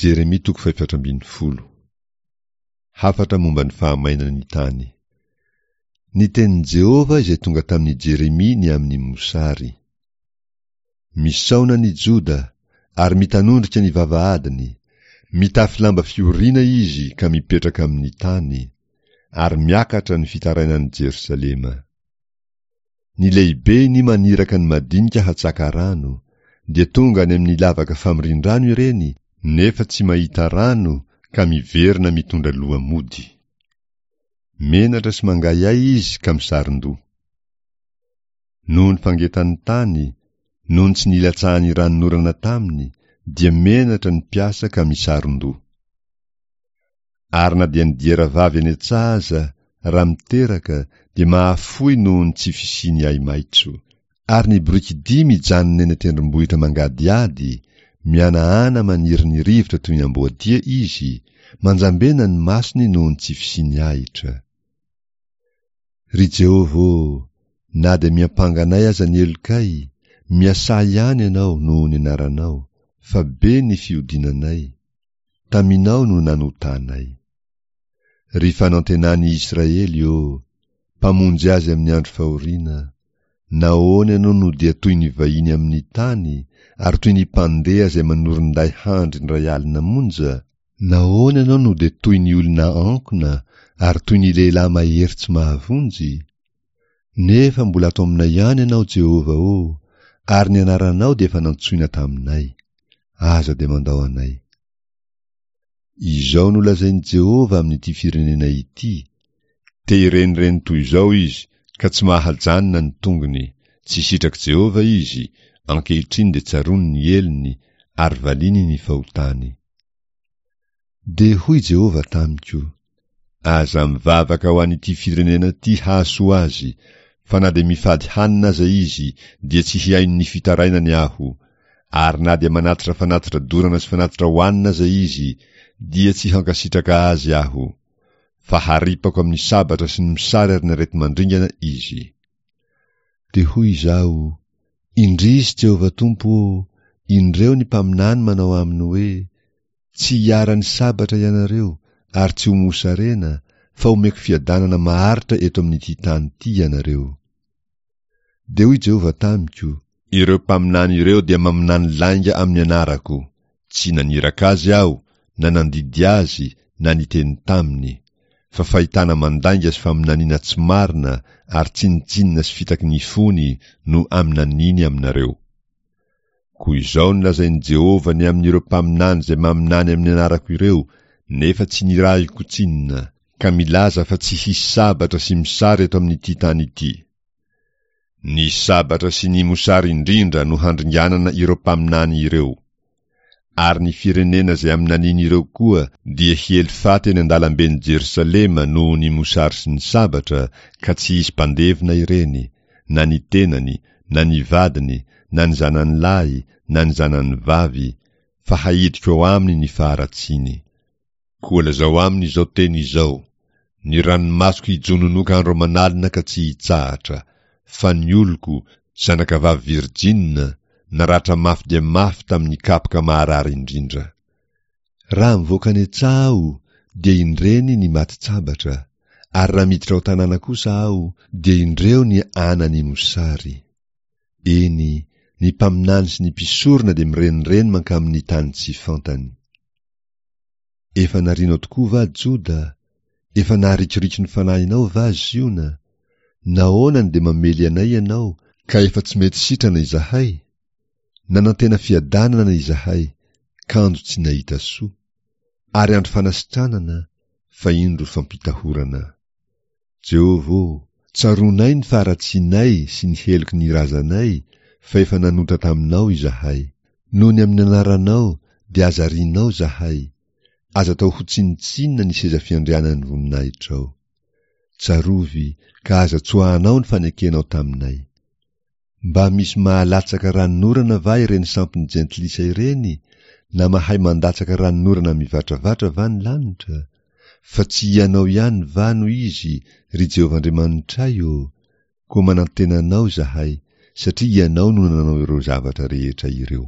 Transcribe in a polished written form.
Jeremia toko fahefatra ambin'ny folo. Hafatra momba ny fahamainan'ny tany. Ny tenin'i Jehovah izay tonga tamin'i Jeremia ny amin'ny mosary. Misaona ny Joda, ary mitanondrika ny vavahadiny, mitafy lamba fioriana izy ka mipetraka amin'ny tany, ary miakatra ny fitarainan'i Jerosalema. Ny lehibeny maniraka ny madinika hatsaka rano, dia tonga any amin'ny lavaka famorian-drano ireny, nefa tsy mahita rano ka miverina mitondra loha mody. Menatra sy mangahiahy izy ka misaron-doha. Noho ny fangetan'ny tany, noho ny tsy nilatsahan'ny ranonorana taminy, dia menatra ny mpiasa ka misaron-doha. Ary na dia ny diera vavy any an-tsaha aza, raha miteraka, dia mahafoy noho ny tsy fisian'ny ahi-maitso. Ary ny borikidia mijanona eny an-tendrombohitra mangadihady, mihanahana maniry ny rivotra toy ny amboadia izy, manjambena ny masony noho ny tsy fisian'ny ahitra. Ry Jehovah ô, na dia miampanga anay aza ny helokay, miasà ihany Ianao noho ny anaranao, fa be ny fihodinanay, Taminao no nanotanay. Ry fanantenan'i Israely ô, Mpamonjy azy amin'ny andro fahoriana, nahoana ianao no dia toy ny vahiny amin'ny tany, ary toy ny mpandeha izay manorin-day handry indray alina monja? Nahoana ianao no dia toy ny olona ankona, ary toy ny lehilahy mahery tsy mahavonjy? Nefa mbola ato aminay ihany ianao, Jehovah ô, ary ny anaranao dia efa nantsoina taminay. Aza dia mandao anay. Izao no lazain'i Jehovah amin'ity firenena ity, Te hirenireny toy izao izy, ka tsy mahajanona ny tongony, tsy sitrak'i Jehovah izy, ankehitriny dia tsaroany ny helony, ary valiany ny fahotany. Dia hoy Jehovah tamiko, Aza mivavaka ho an'ity firenena ity hahasoa azy, fa na dia mifady hanina aza izy, dia tsy hihaino ny fitarainany Aho, ary na dia manatitra fanatitra dorana sy fanatitra hohanina aza izy, dia tsy hankasitraka azy Aho. Fa haripako amin'ny sabatra sy ny mosary ary ny areti-mandringana izy. Dia hoy izaho, Indrisy, Jehovah Tompo ô, indreo ny mpaminany manao aminy hoe, Tsy hiharan'ny sabatra ianareo ary tsy ho mosarena, fa homeko fiadanana maharitra eto amin'ity tany ity ianareo. Dia hoy Jehovah tamiko, Ireo mpaminany ireo dia maminany lainga amin'ny anarako, tsy naniraka azy aho, na nandidy azy, na niteny taminy, fa fahitana mandainga sy faminaniana tsy marina ary tsinontsinona sy fitaky ny fony no aminaniany aminareo. Koa izao no lazain'i Jehovah ny amin'ireo mpaminany izay maminany amin'ny anarako ireo, nefa tsy nirahiko tsinona, ka milaza fa tsy hisy sabatra sy mosary eto amin'ity tany ity. Ny sabatra sy ny mosary indrindra no handringanana ireo mpaminany ireo. Ary ny firenena izay aminaniany ireo koa dia hiely faty eny an-dalamben'i Jerosalema noho ny mosary sy ny sabatra, ka tsy hisy mpandevina ireny, na ny tenany, na ny vadiny, na ny zanany lahy, na ny zanany vavy, fa haidiko ao aminy ny faharatsiany. Koa lazao aminy izao teny izao, Ny ranomasoko hijononoka andro aman'alina ka tsy hitsahatra, fa ny oloko, zanakavavy virjina, naratra mafy dia mafy tamin'ny kapoka maharary indrindra. Raha mivoaka any an-tsaha aho, dia indreny ny matin-tsabatra, ary raha miditra ao an-tanàna kosa aho, dia indreo ny anan'ny mosary. Eny, ny mpaminany sy ny mpisorona dia mirenireny mankamin'ny tany tsy fantany. Efa narianao tokoa va Joda? Efa naharikoriko ny fanahinao va Ziona? Nahoana no dia mamely anay ianao, ka efa tsy mety sitrana izahay? Nanantena fiadanana izahay, kanjo tsy nahita soa, ary andro fanasitranana, fa indro fampitahorana. Jehovah ô, tsaroanay ny faharatsianay sy ny heloky ny razanay, fa efa nanota taminao izahay. Noho ny amin'ny anaranao dia aza arianao izahay, aza atao ho tsinontsinona ny seza fiandrianan'ny voninahitrao. Tsarovy ka aza tsoahanao ny fanekenao taminay. Mba misy mahalatsaka ranonorana va ireny sampin'ny jentilisa ireny na mahay mandatsaka ranonorana mivatravatra va ny lanitra? Fa tsy Ianao ihany va no Izy, ry Jehovah Andriamanitray ô? Koa manantena Anao izahay, satria Ianao no nanao ireo zavatra rehetra ireo.